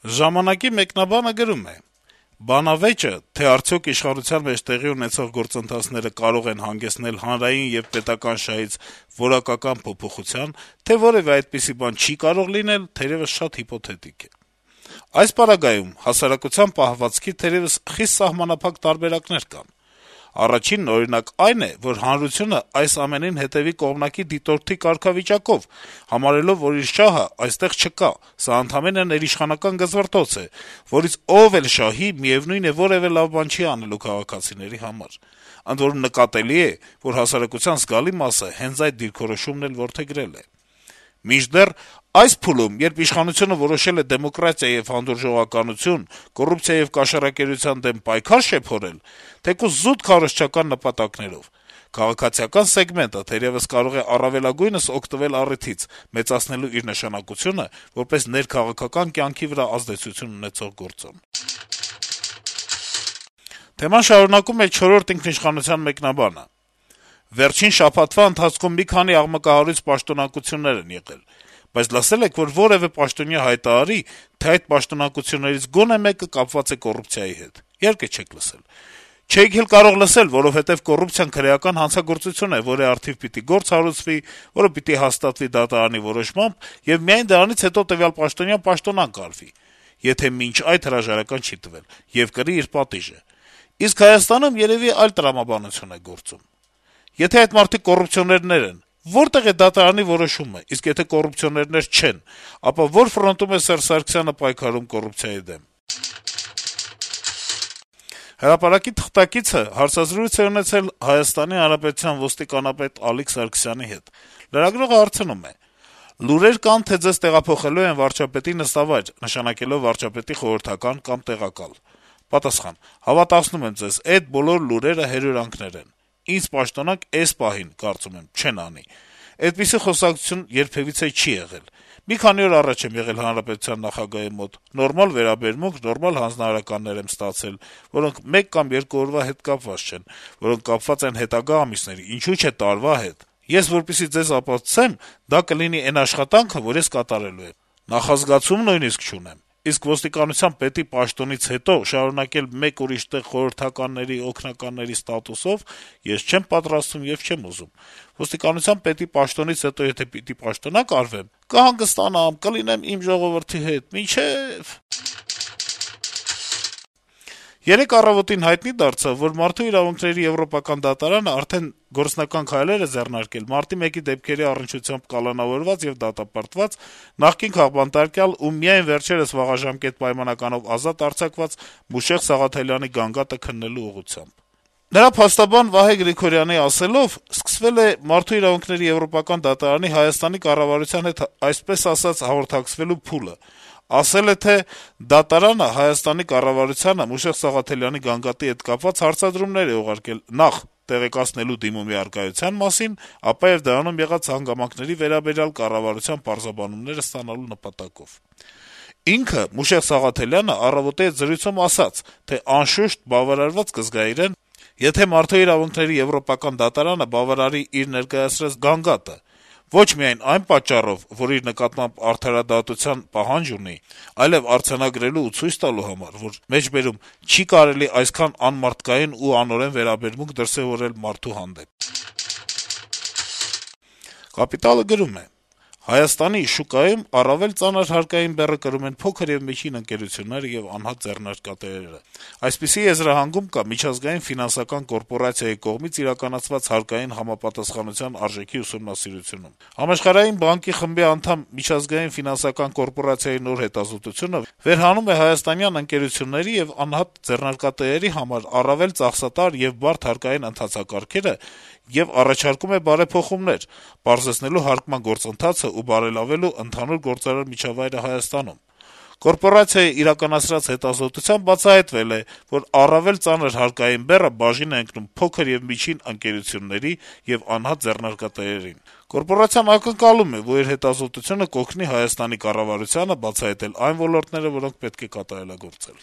Ժամանակի մեկնաբանը գրում է. - «Բանավեճը, թե արդյոք իշխանության մեջ տեղի ունեցող գործընթացները կարող են հանգեցնել հանրային եւ պետական շահից որակական փոփոխության, թե որեւէ այդպիսի բան չի կարող լինել, թերեւս շատ հիպոթետիկ է: Այս պարագայում հասարակության պահվածքի թերեւս խիստ սահմանափակ տարբերակներ կան: Առաջինն, օրինակ, այն է, որ հանրությունը այս ամենին հետեւի կողմնակի դիտորդի կարգավիճակով, համարելով, որ իր շահը այստեղ չկա, սա ընդամենը ներիշխանական գզվռտոց է, որից ով էլ շահի, միեւնույն է, որեւէ լավ բան չի անելու քաղաքացիների համար: Ընդ որում նկատելի է, որ հասարակության զգալի մասը հենց այդ դիրքորոշումն էլ որդեգրել է: Մինչդեռ այս փուլում, երբ իշխանությունը որոշել է դեմոկրատիա եւ հանդուրժողականություն, կոռուպցիա եւ կաշառակերության դեմ պայքար շեփորել, թեկուզ զուտ քարոզչական նպատակներով, քաղաքացիական սեգմենտը թերեւս կարող է առավելագույնս օգտվել առիթից, մեծացնելու իր նշանակությունը որպես ներքաղաքական կյանքի վրա ազդեցություն ունեցող գործոն»: Թեման շարունակում է «Չորրորդ ինքնիշխանության» մեկնաբանը. - «Վերջին շաբաթվա ընթացքում մի քանի աղմկահարույց պաշտոնակություններ են եղել: Բայց լսե՞լ եք, որ որեւէ պաշտոնյա հայտարարի, թե այդ պաշտոնակություններից գոնե մեկը կապված է կոռուպցիայի հետ: Իհարկե չեք լսել: Չէիք էլ կարող լսել, որովհետեւ կոռուպցիան քրեական հանցագործություն է, որի առթիվ պիտի գործ հարուցվի, որը պիտի հաստատվի դատարանի որոշմամբ, եւ միայն դրանից հետո տվյալ պաշտոնյան պաշտոնանկ արվի, եթե մինչ այդ հրաժարական չի տվել, եւ կրի իր պատիժը: Իսկ Հայաստանում երեւի այլ տրամաբանություն է գործում: Եթե այդ մարդիկ կոռուպցիոներներ են, որտե՞ղ է դատարանի որոշումը, իսկ եթե կոռուպցիոներներ չեն, ապա ո՞ր ֆրոնտում է Սերժ Սարգսյանը պայքարում կոռուպցիայի դեմ»: «Հրապարակ»-ի թղթակիցը հարցազրույց է ունեցել ՀՀ ոստիկանապետ Ալիկ Սարգսյանի հետ: Լրագրողը հարցնում է. - «Լուրեր կան, թե ձեզ տեղափոխելու են վարչապետի նստավայր, նշանակելով վարչապետի խորհրդական կամ տեղակալ»: Պատասխան. - «Հավատացնում եմ ձեզ, էդ բոլոր լուրերը հրյուրանքներ են: Ինձ պաշտոնանկ էս պահին, կարծում եմ, չեն անի: Այդպիսի խոսակցություն երբեւիցե չի եղել: Մի քանի օր առաջ եմ եղել հանրապետության նախագահի մոտ, նորմալ վերաբերմունք, նորմալ հանձնարարականներ եմ ստացել, որոնք մեկ կամ երկու օրվա հետ կապված չեն, որոնք կապված են հետագա ամիսների, ինչու՞ չէ տարվա հետ: Ես որպեսզի ձեզ ապացուցեմ, դա կլինի էն աշխատանքը, որ ես կատարելու եմ: Նախազգացում նույնիսկ չունեմ: Իսկ ոստիկանության պետի պաշտոնից հետո շարունակել մեկ ուրիշ տեղ խորհրդականների, օգնականների ստատուսով ես չեմ պատրաստվում եւ չեմ ուզում: Ոստիկանության պետի պաշտոնից հետո եթե պիտի պաշտոնանկ արվեմ, կհանգստանամ, կլինեմ իմ ժողովրդի հետ, մինչեւ»: Երեկ «Առավոտ»-ին հայտնի դարձավ, որ Մարդու իրավունքների եվրոպական դատարանը արդեն գործնական քայլեր է ձեռնարկել մարտի 1-ի դեպքերի առնչությամբ կալանավորված եւ դատապարտված նախկին քաղբանտարկյալ ու միայն վերջերս վաղաժամկետ պայմանականով ազատ արձակված Մուշեղ Սաղաթելյանի գանգատը քննելու ուղղությամբ: Նրա փաստաբան Վահե Գրիգորյանի ասելով, սկսվել է Մարդու իրավունքների եվրոպական դատարանի Հայաստանի կառավարության հետ այսպես ասած հաղորդակցվելու փուլը: Ասել է, թե դատարանը Հայաստանի կառավարությանը Մուշեղ Սաղաթելյանի գանգատի հետ կապված հարցադրումներ է ուղարկել նախ տեղեկացնելու դիմումի առկայության մասին, ապա եւ դրանում եղած հանգամանքների վերաբերյալ կառավարության պարզաբանումներ ստանալու նպատակով: Ինքը` Մուշեղ Սաղաթելյանը «Առավոտ»-ի հետ զրույցում ասաց, թե անշուշտ բավարարված կզգայիրեն, եթե Մարդու իրավունքների եվրոպական դատարանը բավարարի իր ներկայացրած գանգատը, ոչ միայն այն պատճառով, որ իր նկատմամբ արդարադատության պահանջ ունի, այլեւ արձանագրելու ու ցույց տալու համար, որ մեջբերում չի կարելի այսքան անմարդկային ու անօրեն վերաբերմունք դրսեւորել մարդու հանդեպ: «Կապիտալ»-ը գրում է. - «Հայաստանի շուկայում առավել ծանր հարկային բեռը կրում են փոքր եւ միջին ընկերությունները եւ անհատ ձեռնարկատերերը: Այսպիսի եզրահանգում կա Միջազգային ֆինանսական կորպորացիայի կողմից իրականացված հարկային համապատասխանության արժեքի ուսումնասիրությունում: Համաշխարհային բանկի խմբի անդամ Միջազգային ֆինանսական կորպորացիայի նոր հետազոտությունը վերհանում է հայաստանյան ընկերությունների եւ անհատ ձեռնարկատերերի համար առավել ծախսատար եւ բարդ հարկային ընթացակարգերը եւ առաջարկում է բարեփոխումներ` պարզեցնելու հարկման գործընթացը ու բարելավելու ընդհանուր գործարար միջավայրը Հայաստանում: Կորպորացիայի իրականացրած հետազոտությամբ բացահայտվել է, որ առավել ծանր հարկային բեռը բաժին է ընկնում փոքր եւ միջին ընկերությունների եւ անհատ ձեռնարկատերերին: Կորպորացիան ակնկալում է, որ իր հետազոտությունը կօգնի Հայաստանի կառավարությանը բացահայտել այն ոլորտները, որոնք պետք է կատարելագործել»: